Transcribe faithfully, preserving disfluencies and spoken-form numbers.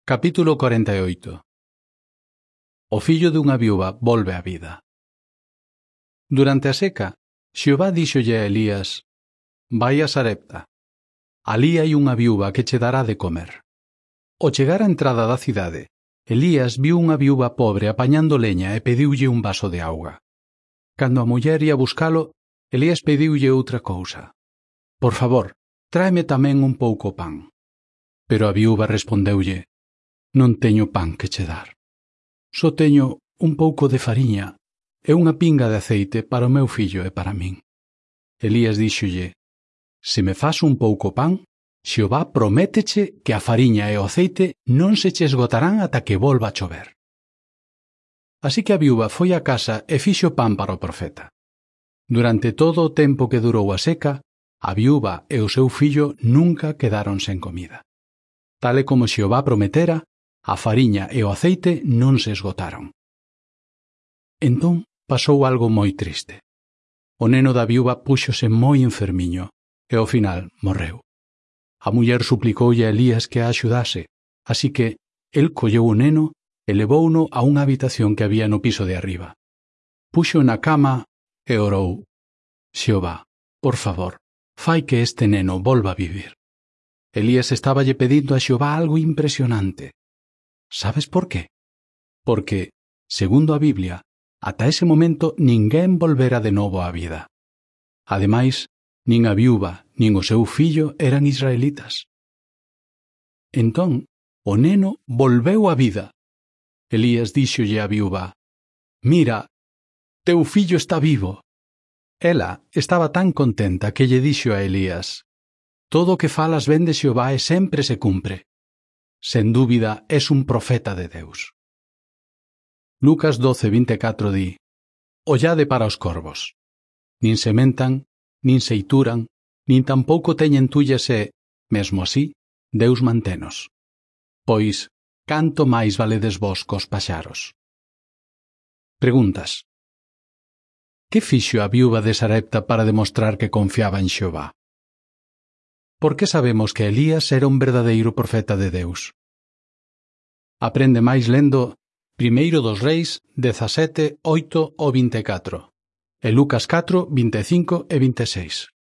Capítulo cuarenta e oito. O fillo dunha viúva volve á vida. Durante a seca, Xehová díxolle a Elías: Vai a Sarepta. Alí hai unha viúva que che dará de comer. Ao chegar á entrada da cidade, Elías viu unha viúva pobre apañando leña e pediulle un vaso de auga. Cando a muller ia buscalo, Elías pediulle outra cousa: Por favor, tráeme tamén un pouco pan. Pero a viúva respondeulle: Non teño pan que che dar. Só teño un pouco de fariña e unha pinga de aceite para o meu fillo e para min. Elías díxolle: Se me fas un pouco pan, Xehová prométeche que a fariña e o aceite non se che esgotarán ata que volva a chover. Así que a viúva foi á casa e fixo pan para o profeta. Durante todo o tempo que durou a seca, a viúva e o seu fillo nunca quedaron sen comida. Tal e como Xehová prometera, a fariña e o aceite non se esgotaron. Entón pasou algo moi triste. O neno da viúva púxose moi enfermiño e ao final morreu. A muller suplicoulle a Elías que a axudase, así que el colleu o neno e levouno a unha habitación que había no piso de arriba. Puxo na cama e orou: Xehová, por favor, fai que este neno volva a vivir. Elías estáballe pedindo a Xehová algo impresionante. Sabes por qué? Porque, segundo a Biblia, ata ese momento ninguén volvera de novo á vida. Ademais, nin a viúva nin o seu fillo eran israelitas. Entón, o neno volveu á vida. Elías díxolle á viúva: Mira, teu fillo está vivo. Ela estaba tan contenta que lle dixo a Elías: Todo o que falas ben de Xehová e sempre se cumpre. Sen dúbida, és un profeta de Deus. Lucas doce vinte e catro di: Ollade para os corvos. Nin sementan, nin seituran, nin tampouco teñen tullas e, mesmo así, Deus mantenos. Pois, canto máis valedes vos cos paxaros? Preguntas: Que fixo a viúva de Sarepta para demostrar que confiaba en Xehová? Por que sabemos que Elías era un verdadeiro profeta de Deus? Aprende máis lendo Primeiro dos Reis dezasete, oito ao vinte e catro e Lucas catro, vinte e cinco e vinte e seis.